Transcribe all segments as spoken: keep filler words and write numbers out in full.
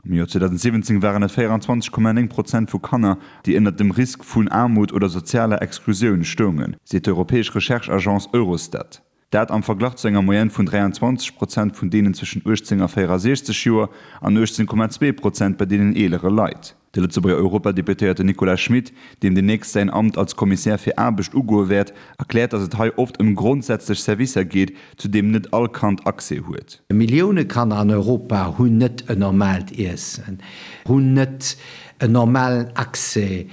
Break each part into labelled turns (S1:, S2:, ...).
S1: Am Joer zweedausendsiwwenzéng waren et véieranzwanzeg Komma néng Prozent vu Kanner, déi ënnert dem Risk vun Aarmut oder sozialer Exklusioun stoungen, seet d'europäesch Recherche-Agence Eurostat. Dat am Verglach zu enger Moyenne vun dräianzwanzeg Prozent vun deenen zwëschen uechtzéng a véierasiechzeg Joer an uechtzéng Komma zwee Prozent bei deenen eelere Leit. De Lëtzebuerger Europadeputéierte Nicolas Schmit, deem deemnächst säin Amt als Kommissär fir Aarbecht ugoe wäert, erkläert, datt et hei oft ëm grondsätzlech Servicer geet, zu deem net all Kand Accès huet.
S2: Millioune Kanner an Europa hunn net en normaalt Iessen, hunn net en normalen Accès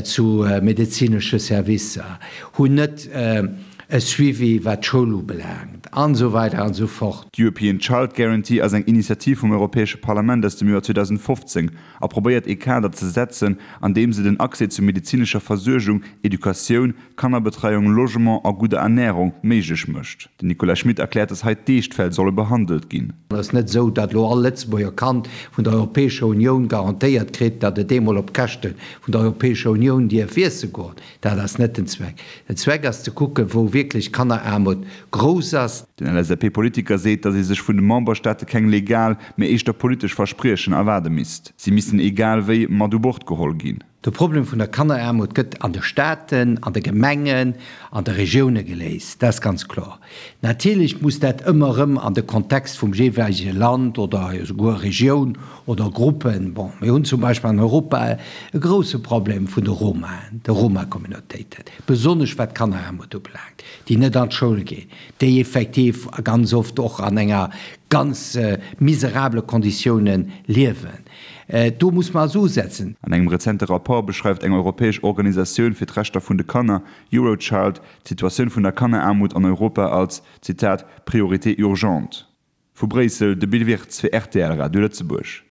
S2: zu medezinesche Servicer, hunn net e Suivi wat d'Schoul ubelaangt, an esou weider an esou fort.
S1: D'European Child Guarantee ass eng Initiativ vum Europäesche Parlament aus dem Joer zweedausendfofzéng a probéiert ee Kader ze setzen, an deem se den Accès zu medezinescher Versuergung, Educatioun, Kannerbetreiung, Logement a gudder Ernärung méiglech mécht. Den Nicolas Schmit erkläert, dass hei d'Eeschtfäll solle behandelt ginn.
S2: Et ass net esou, datt elo all Lëtzebuerger Kand vun der Europäescher Unioun garantéiert kritt, datt et eemol op Käschte vun der Europäescher Unioun dierf iesse goen. Dat ass net den Zweck. Den Zweck ass ze kucken, wou wierklech Kanneraarmut grouss ass.
S1: Den L S A P-Politiker seet, datt ee sech vun de Memberstaate keng legal, mee éischter politesch Verspriechen erwaarde misst. Si missten egal wéi mat u Bord geholl ginn.
S2: De Problem vun der Kanneraarmut gëtt an de Staaten, an de Gemengen, an de Regioune geléist, dat ass ganz kloer. Natierlech muss dat ëmmer erëm an de Kontext vum jeeweilege Land oder esouguer Regioun oder Gruppen, bon, mir hunn zum Beispill an Europa e grouse Problem vun de Romaen, de Roma-Communautéiten, besonnesch wat d'Kanneraarmut ubelaangt, déi net an d'Schoul ginn, déi effektiv ganz oft och an enger ganz miserabele Konditiounen liewen. Do muss mer also usetzen.
S1: An engem rezente Rapport beschreift eng europäesch Organisatioun fir d'Rechter vun de Kanner, Eurochild, d'Situatioun vun der Kanneraarmut an Europa als, Zitat, priorité urgente. Vu Bréissel, de Bill Wirtz fir R T L Radio Lëtzebuerg.